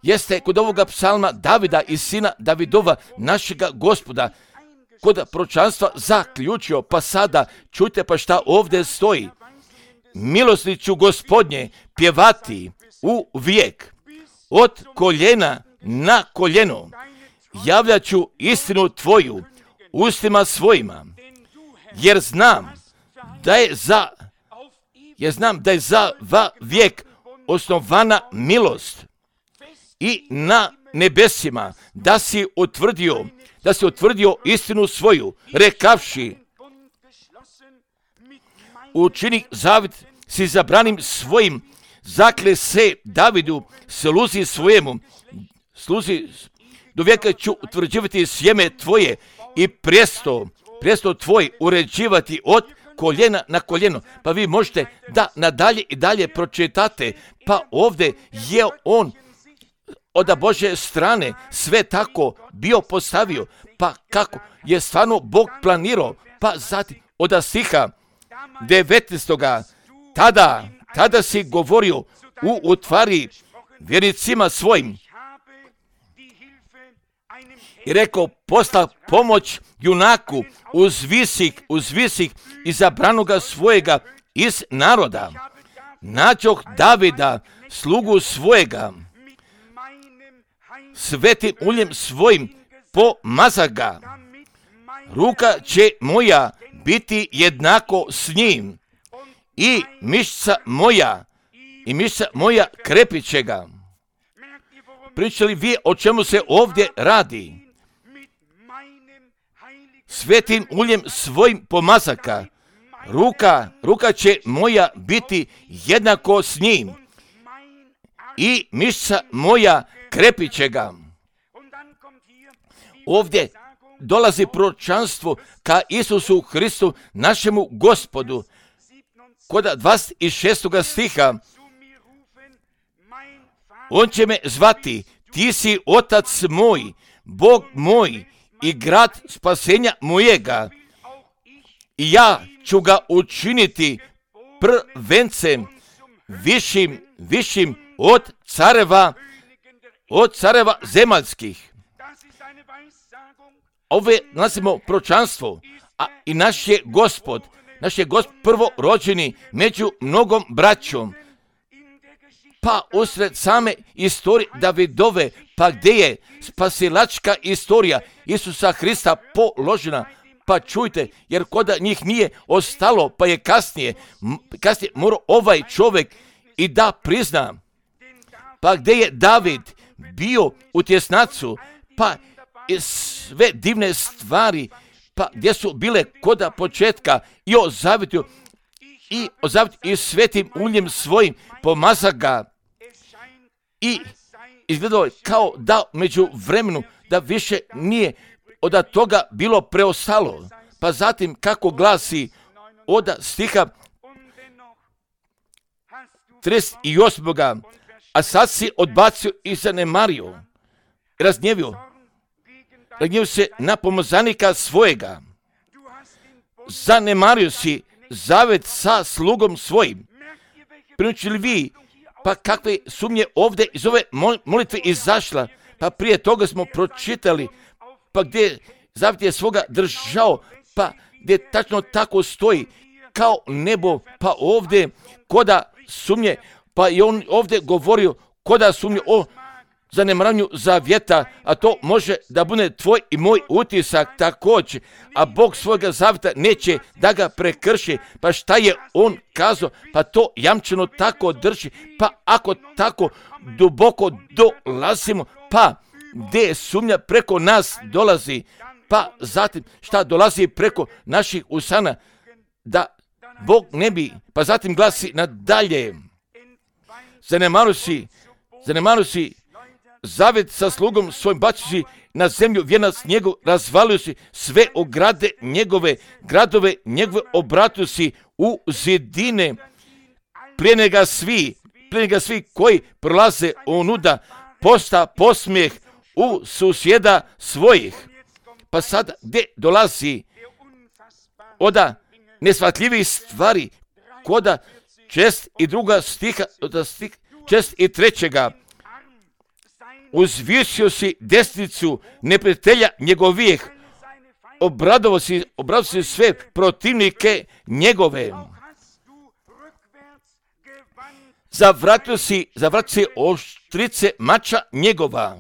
jeste kod ovoga psalma Davida i sina Davidova, našega Gospoda, kod proročanstva zaključio, pa sada čujte pa šta ovdje stoji. milosti ću Gospodnje pjevati u vijek. Od koljena na koljeno javljat ću istinu tvoju ustima svojima, jer znam da je za jer znam da je za va vijek osnovana milost i na nebesima da si utvrdio da si utvrdio istinu svoju, rekavši: učini zavjet si zabranim svojim, zakle se Davidu, sluzi svojemu, sluzi do vijeka ću utvrđivati sjeme tvoje i prijesto, prijesto tvoj uređivati od koljena na koljeno. Pa vi možete da nadalje i dalje pročitate, pa ovdje je on od Božje strane sve tako bio postavio, pa kako je stvarno Bog planirao, pa zatim od stiha devetnaestoga tada, tada si govorio u utvari vjernicima svojim i rekao: posla pomoć junaku uz visik, uz visik izabranoga svojega iz naroda. Nađoh Davida, slugu svojega, svetim uljem svojim pomazah ga. Ruka će moja biti jednako s njim i mišica moja, i mišica moja krepit će ga. Pričali vi o čemu se ovdje radi? Svetim uljem svojim pomazaka. Ruka, ruka će moja biti jednako s njim i mišica moja krepit će ga. Ovdje dolazi proročanstvo ka Isusu Hristu, našemu Gospodu. Kod dvadeset šestoga stiha: on će me zvati, ti si otac moj, Bog moj i grad spasenja mojega. I ja ću ga učiniti prvencem, višim, višim od careva, od careva zemaljskih. Ove nasimo proročanstvo, a i naš je Gospod, naš je Gospod prvorođeni među mnogom braćom. Pa usred same istorije Davidove, pa gdje je spasilačka istorija Isusa Hrista položena, pa čujte, jer kod njih nije ostalo, pa je kasnije, kasnije morao ovaj čovjek i da prizna. Pa gdje je David bio u tjesnacu, pa sve divne stvari, pa gdje su bile koda početka i o zavjetu, i o zavjetu i svetim uljem svojim pomazah ga. I izgledalo je kao da među vremenu da više nije od toga bilo preostalo. Pa zatim kako glasi od stiha trideset osmoga a sad si odbacio i zanemario, razgnjevio, razgnjevio se na pomazanika svojega, zanemario si zavjet sa slugom svojim. Prinučili vi, pa kakve sumnje ovdje iz ove molitve izašla, pa prije toga smo pročitali, pa gdje zavjet je svoga držao, pa gdje tačno tako stoji kao nebo, pa ovdje koda sumnje, pa i on ovdje govorio koda sumnje o zanemaranju zavjeta, a to može da bude tvoj i moj utisak također, a Bog svojega zavjeta neće da ga prekrši. Pa šta je on kazao? Pa to jamčeno tako drži, pa ako tako duboko dolazimo, pa gdje sumnja preko nas dolazi, pa zatim šta dolazi preko naših usana, da Bog ne bi, pa zatim glasi nadalje: zanemario si, zanemario si zavjet sa slugom svojim, bacio si na zemlju vijenac njegov, razvalio si sve ograde njegove, gradove njegove obratio si u zidine, plijene ga svi, plijene ga svi koji prolaze onuda, posta posmijeh u susjeda svojih. Pa sad gdje dolazi oda nesvatljivih stvari, koda čest i druga stiha, stih, čest i trećega: uzvisio si desnicu neprijatelja njegovih, obradovao si, obradovao si sve protivnike njegove. zavratio si, zavratio si oštrice mača njegova.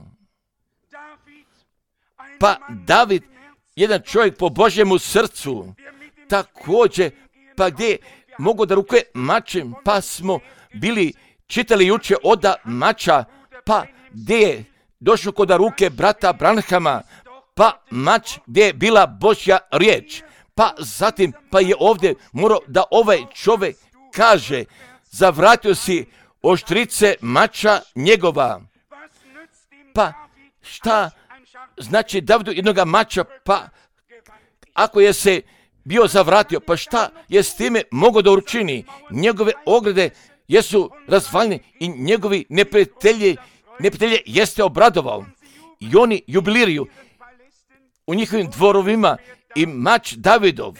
Pa David, jedan čovjek po Božjemu srcu, također, pa gdje mogu da rukuje mačem, pa smo bili čitali juče oda mača, pa gdje je došlo kod ruke brata Branhama, pa mač gdje je bila Božja riječ, pa zatim pa je ovdje morao da ovaj čovjek kaže, zavratio si oštrice mača njegova. Pa šta znači Davidu jednoga mača, pa ako je se bio zavratio, pa šta je s time mogao da učini? Njegove ograde jesu razvaljene i njegovi neprijatelji, neprijatelje jeste obradovao. I oni jubiliraju u njihovim dvorovima i mač Davidov,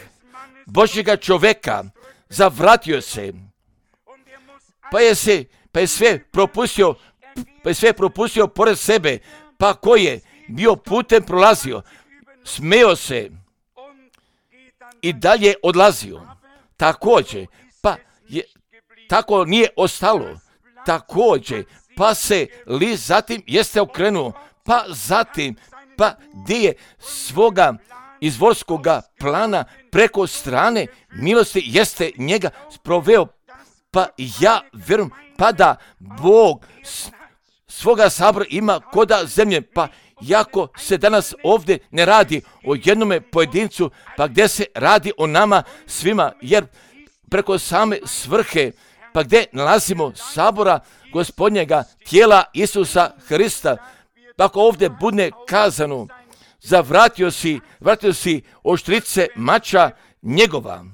Božjega čoveka, zavratio se. Pa je se, pa je sve propustio, pa je sve propustio pored sebe, pa ko je bio putem prolazio, smeo se i dalje odlazio. Također, pa je, tako nije ostalo. Također, pa se li zatim jeste okrenuo, pa zatim, pa gdje je svoga izvorskoga plana preko strane milosti jeste njega sproveo. Pa ja vjerujem, pa da Bog svoga sabora ima koda zemlje, pa jako se danas ovdje ne radi o jednome pojedincu, pa gdje se radi o nama svima, jer preko same svrhe, pa gdje nalazimo sabora Gospodnjega tijela Isusa Hrista, pa ako ovdje bude kazano, zavratio si, vratio si oštrice mača njegova.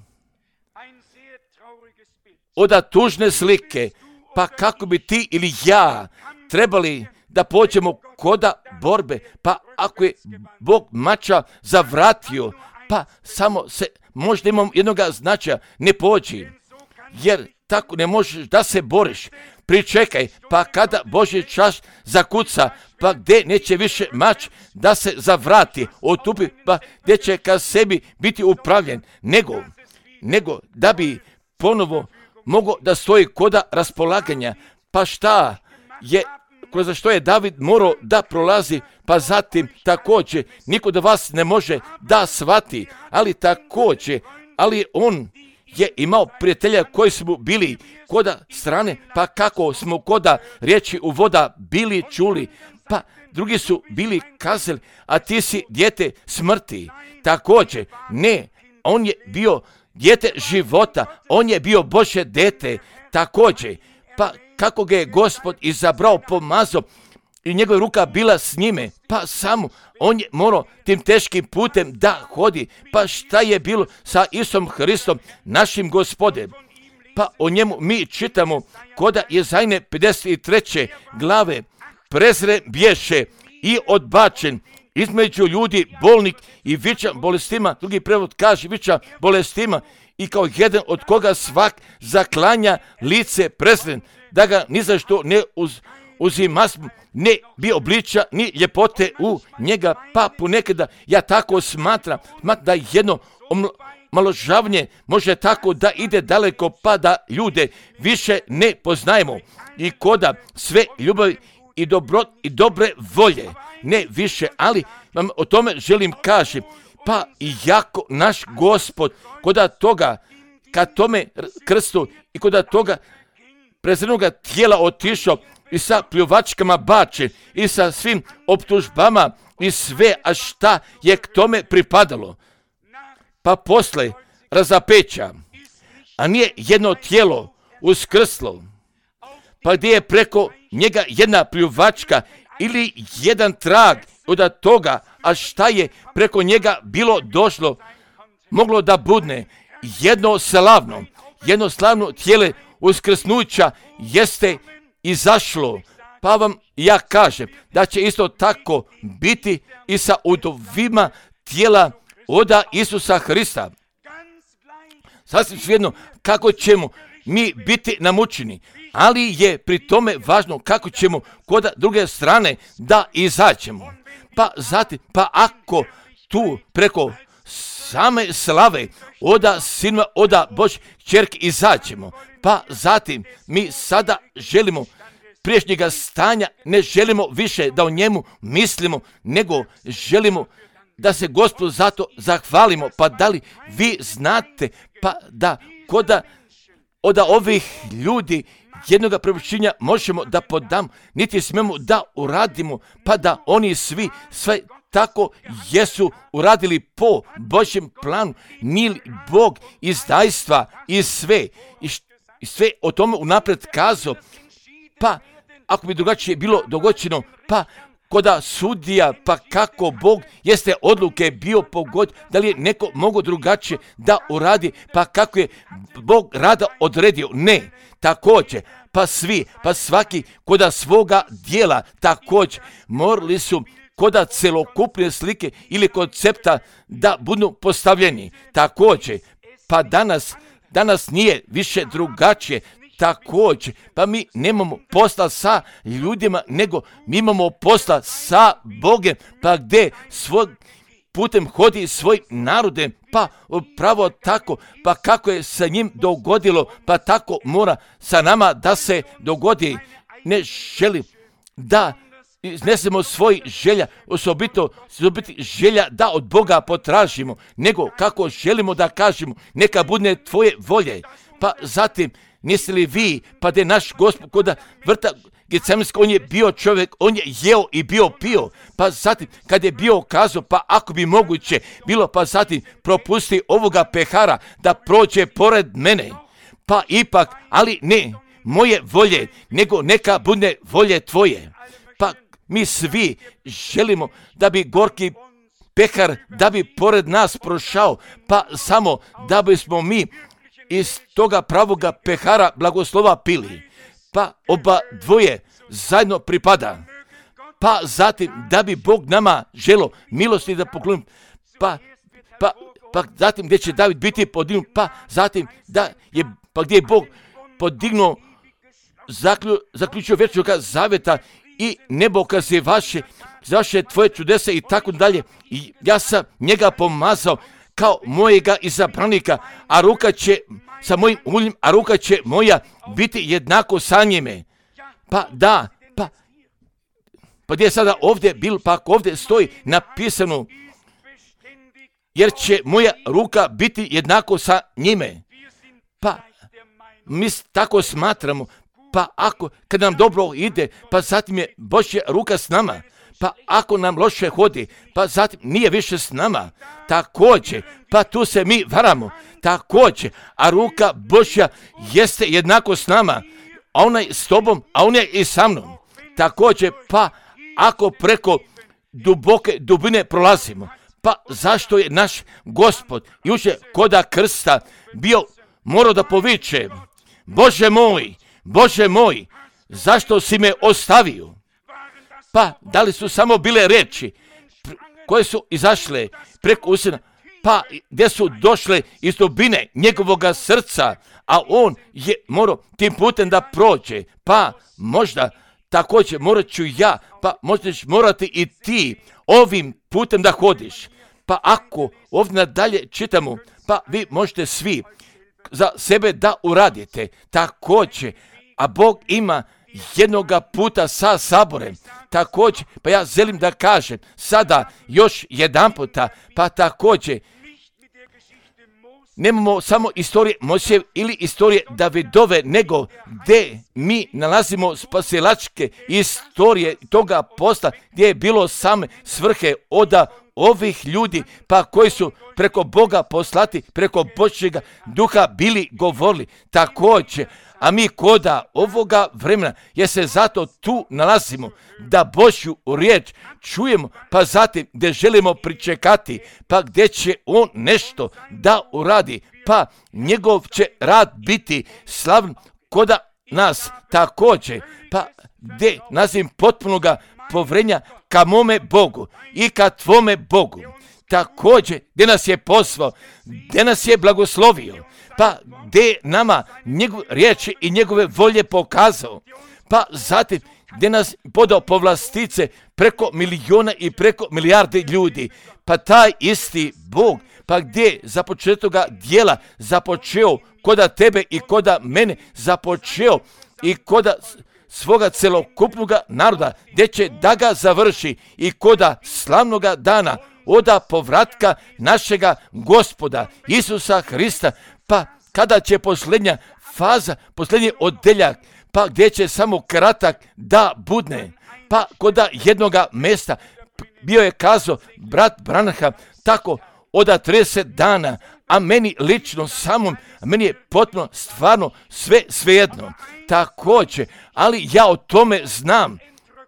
Oda tužne slike, pa kako bi ti ili ja trebali da pođemo koda borbe, pa ako je Bog mača zavratio, pa samo se možda imamo jednoga značaja, ne pođi, jer tako ne možeš da se boriš. Pričekaj, pa kada Božji čas zakuca, pa gdje neće više mač da se zavrati, otupi, pa gdje će ka sebi biti upravljen, nego, nego da bi ponovo mogo da stoji koda raspolaganja. Pa šta je, kroz što je David morao da prolazi, pa zatim također niko da vas ne može da shvati, ali također, ali on je imao prijatelja koji su mu bili koda strane, pa kako smo koda riječi u voda bili čuli, pa drugi su bili kazali, a ti si dijete smrti. Također, ne, on je bio dijete života, on je bio Božje dete, također, pa kako ga je Gospod izabrao, pomazao i njegova ruka bila s njime, pa samo on je morao tim teškim putem da hodi, pa šta je bilo sa Isusom Hristom, našim Gospodem. Pa o njemu mi čitamo koda Jezajne pedeset treće glave, prezren bješe i odbačen između ljudi, bolnik i viča bolestima, drugi prevod kaže viča bolestima, i kao jedan od koga svak zaklanja lice prezren, da ga ni za što ne uz, uzima, ne bi obliča ni ljepote u njega, pa ponekada ja tako smatram, smatram da jedno omaložavanje može tako da ide daleko, pa da ljude više ne poznajemo i koda sve ljubavi i, dobro, i dobre volje, ne više, ali vam o tome želim kaži, pa i jako naš Gospod koda toga, ka tome krstu i koda toga prezrenoga tijela otišao i sa pljuvačkama bačen i sa svim optužbama i sve, a šta je k tome pripadalo. Pa posle razapeća, a nije jedno tijelo uskrslo, pa gdje je preko njega jedna pljuvačka ili jedan trag od toga, a šta je preko njega bilo došlo, moglo da budne jedno slavno, jedno slavno tijele uskrsnuća jeste izašlo. Pa vam ja kažem da će isto tako biti i sa udovima tijela oda Isusa Hrista. Sasvim svejedno kako ćemo mi biti namučeni, ali je pri tome važno kako ćemo kod druge strane da izađemo. Pa zatim, pa ako tu preko same slave oda Sinova, oda Božje kćerke izađemo, pa zatim mi sada želimo priješnjega stanja, ne želimo više da o njemu mislimo, nego želimo da se Gospodu zato zahvalimo. Pa da li vi znate pa da koda od ovih ljudi jednoga prepuštenja možemo da podam, niti smemo da uradimo, pa da oni svi sve tako jesu uradili po Božjem planu. Nije li Bog izdajstva i sve, i, i sve o tome unaprijed kazao? Pa ako bi drugačije bilo dogođeno, pa koda sudija, pa kako Bog jeste odluke bio pogod, da li je neko mogo drugačije da uradi, pa kako je Bog rada odredio? Ne, također, pa svi, pa svaki koda svoga dijela također morali su koda celokupne slike ili koncepta da budu postavljeni. Također, pa danas, danas nije više drugačije. Također, pa mi nemamo posla sa ljudima, nego mi imamo posla sa Bogem, pa gdje svoj putem hodi svoj narodem, pa pravo tako, pa kako je sa njim dogodilo, pa tako mora sa nama da se dogodi. Ne želim da iznesemo svoj želja, osobito, osobito želja da od Boga potražimo, nego kako želimo da kažemo, neka bude tvoje volje. Pa zatim, niste li vi, pa da je naš Gospod koda vrta Getsemanskog, on je bio čovjek, on je jeo i bio pio, pa zatim kad je bio kazao, pa ako bi moguće bilo, pa zatim propusti ovoga pehara da prođe pored mene, pa ipak, ali ne moje volje, nego neka bude volje tvoje. Pa mi svi želimo da bi gorki pehar, da bi pored nas prošao, pa samo da bismo mi iz toga pravoga pehara blagoslova pili. Pa oba dvoje zajedno pripada. Pa zatim da bi Bog nama želo milosti da pokloni. Pa, pa, pa zatim gdje će David biti podignut. Pa zatim da je, pa gdje je Bog podignuo, zaklju, zaključio vječnoga zaveta i nebo kaze vaše, vaše tvoje čudesa i tako dalje. I ja sam njega pomazao kao mojega izabranika, a ruka će sa mojim uljem, a ruka će moja biti jednako sa njime. Pa da, pa, pa gdje je sada ovdje bil, pa ako ovdje stoji napisano, jer će moja ruka biti jednako sa njime. Pa mi tako smatramo, pa ako, kad nam dobro ide, pa zatim je Božja ruka s nama. Pa ako nam loše hodi, pa zatim nije više s nama. Također, pa tu se mi varamo. Također, a ruka Božja jeste jednako s nama. A ona je s tobom, a ona je i sa mnom. Također, pa ako preko duboke dubine prolazimo, pa zašto je naš Gospod jučer koda krsta bio morao da poviče: Bože moj, Bože moj, zašto si me ostavio? Pa da li su samo bile reči koje su izašle preko usana, pa gdje su došle iz dubine njegovoga srca, a on je morao tim putem da prođe. Pa možda također morat ću ja, pa možda ćeš morati i ti ovim putem da hodiš. Pa ako ovdje nadalje čitamo, pa vi možete svi za sebe da uradite također, a Bog ima jednoga puta sa saborem. Također, pa ja želim da kažem sada još jedan puta, pa također nemamo samo istorije Mojsijeve ili istorije Davidove, nego gdje mi nalazimo spasilačke istorije toga posla gdje je bilo same svrhe od ovih ljudi, pa koji su preko Boga poslati, preko Božjega duha bili govorili. Također, a mi koda ovoga vremena, jer se zato tu nalazimo, da Božju riječ čujemo, pa zatim gdje želimo pričekati, pa gdje će on nešto da uradi, pa njegov će rad biti slavn koda nas također, pa gdje nazim potpunoga povrenja ka mome Bogu i ka tvome Bogu. Također, gdje nas je poslao, gdje nas je blagoslovio, pa gdje nama njegove riječi i njegove volje pokazao, pa zatim gdje nas podao povlastice preko miliona i preko milijarde ljudi, pa taj isti Bog, pa gdje započetoga dijela započeo koda tebe i koda mene započeo i koda svoga celokupnog naroda, gdje će da ga završi i koda slavnoga dana oda povratka našega Gospoda Isusa Hrista, pa kada će posljednja faza, posljednji odeljak, pa gdje će samo kratak da budne, pa koda jednoga mesta bio je kazao brat Branham tako oda trideset dana, a meni lično samom, a meni je potpuno stvarno sve svejedno. Također, ali ja o tome znam,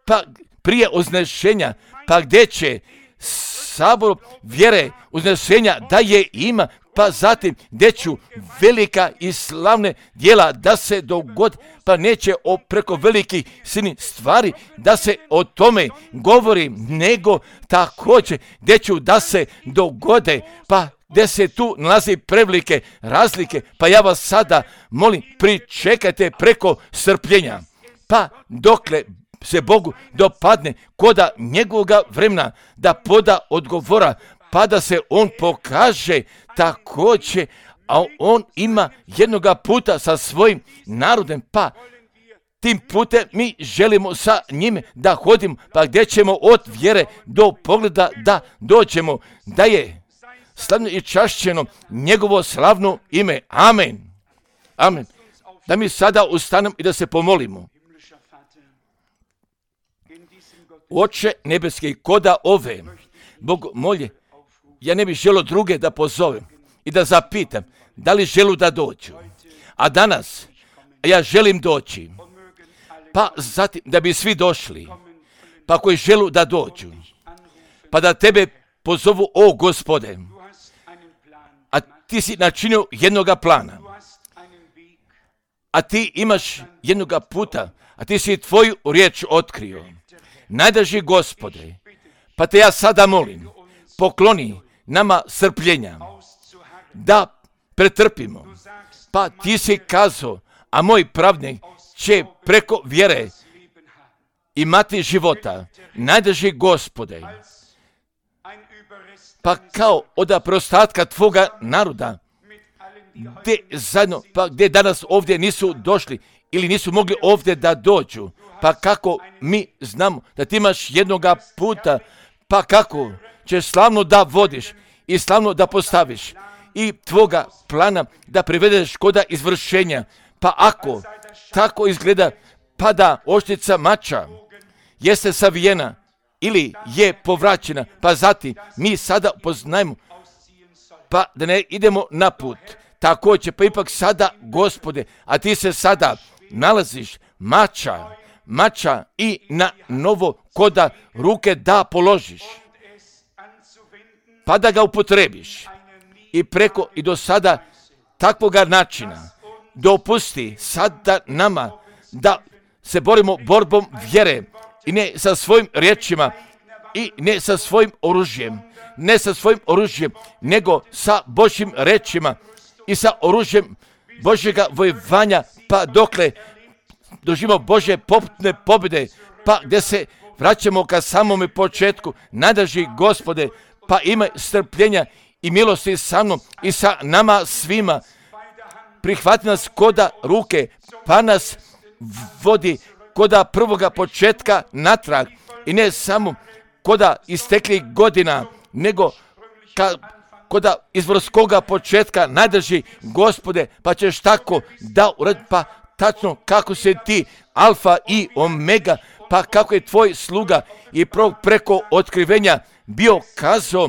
pa prije uznešenja, pa gdje će sabor vjere uznešenja da je ima, pa zatim gdje ću velika i slavne djela da se dogodi, pa neće o preko velikih silnih stvari da se o tome govori, nego također gdje ću da se dogode, pa gdje se tu nalazi prevelike razlike, pa ja vas sada molim, pričekajte preko strpljenja, pa dokle se Bogu dopadne koda njegovoga vremena da poda odgovora, pa da se on pokaže također, a on ima jednoga puta sa svojim narodem, pa tim putem mi želimo sa njime da hodimo, pa gdje ćemo od vjere do pogleda da dođemo, da je slavno i čašćeno njegovo slavno ime. Amen. Amen. Da mi sada ustanemo i da se pomolimo. Oče nebeski, koda ove, Bog molje, ja ne bih želio druge da pozovem i da zapitam da li želu da dođu. A danas ja želim doći, pa zatim da bi svi došli, pa koji želu da dođu, pa da tebe pozovu, o Gospode, a ti si načinio jednoga plana, a ti imaš jednoga puta, a ti si tvoju riječ otkrio. Najdraži Gospode, pa te ja sada molim, pokloni nama strpljenja, da pretrpimo, pa ti si kazao, a moj pravnik će preko vjere imati života. Najdraži Gospode, pa kao od prostatka tvoga naroda, gdje zajedno, pa gdje danas ovdje nisu došli ili nisu mogli ovdje da dođu, pa kako mi znamo da ti imaš jednoga puta, pa kako ćeš slavno da vodiš i slavno da postaviš i tvoga plana da privedeš koda izvršenja, pa ako tako izgleda, pa da oštrica mača jeste savijena ili je povraćena, pa zatim mi sada poznajemo, pa da ne idemo na put. Također, pa ipak sada, Gospode, a ti se sada nalaziš mača, mača i na novo koda ruke da položiš, pa da ga upotrebiš i preko i do sada takvoga načina dopusti sada nama da se borimo borbom vjere i ne sa svojim riječima i ne sa svojim oružjem, ne sa svojim oružjem, nego sa Božjim rečima i sa oružjem Božjega vojevanja, pa dokle doživimo Božje poputne pobjede, pa gdje se vraćamo ka samome početku. Najdraži Gospode, pa imaj strpljenja i milosti sa mnom i sa nama svima. Prihvati nas koda ruke, pa nas vodi koda prvoga početka natrag i ne samo koda isteklih godina, nego ka, koda izvorskoga početka. Najdraži Gospode, pa ćeš tako da uradi, pa tačno kako se ti alfa i omega, pa kako je tvoj sluga i preko otkrivenja bio kazao,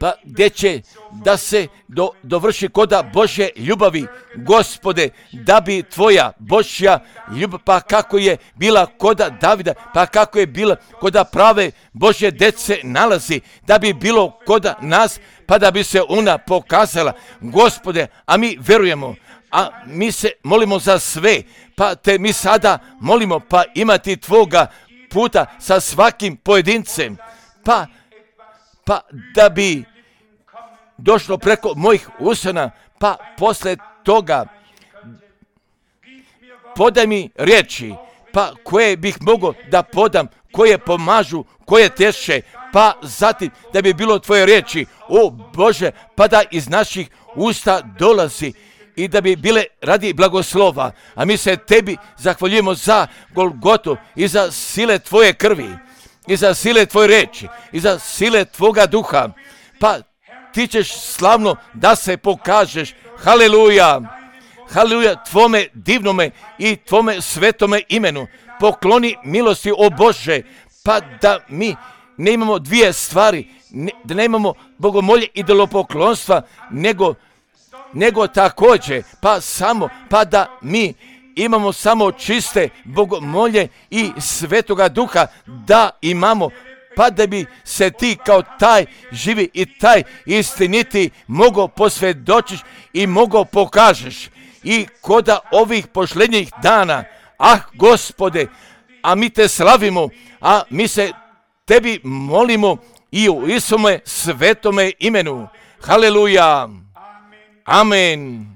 pa gdje će da se do, dovrši koda Božje ljubavi, Gospode, da bi tvoja Božja ljubav, pa kako je bila koda Davida, pa kako je bila koda prave Božje dece nalazi, da bi bilo koda nas, pa da bi se ona pokazala, Gospode, a mi verujemo, a mi se molimo za sve, pa te mi sada molimo, pa imati tvoga puta sa svakim pojedincem, pa pa da bi došlo preko mojih usana, pa posle toga podaj mi riječi, pa koje bih mogao da podam koje pomažu, koje teše, pa zatim da bi bilo tvoje riječi, o Bože, pa da iz naših usta dolazi i da bi bile radi blagoslova. A mi se tebi zahvaljujemo za Golgotu i za sile tvoje krvi, i za sile tvoje reči, i za sile tvoga duha. Pa ti ćeš slavno da se pokažeš. Haleluja! Haleluja tvome divnome i tvome svetome imenu. Pokloni milosti, o Bože, pa da mi ne imamo dvije stvari, ne, da ne imamo bogomolje i idolopoklonstva, nego, nego također, pa samo, pa da mi imamo samo čiste bogomolje i svetoga duha, da imamo, pa da bi se ti kao taj živi i taj istiniti mogao posvjedočiš i mogao pokažeš. I koda ovih posljednjih dana, ah Gospode, a mi te slavimo, a mi se tebi molimo i u Isome svetome imenu. Haleluja. Amen.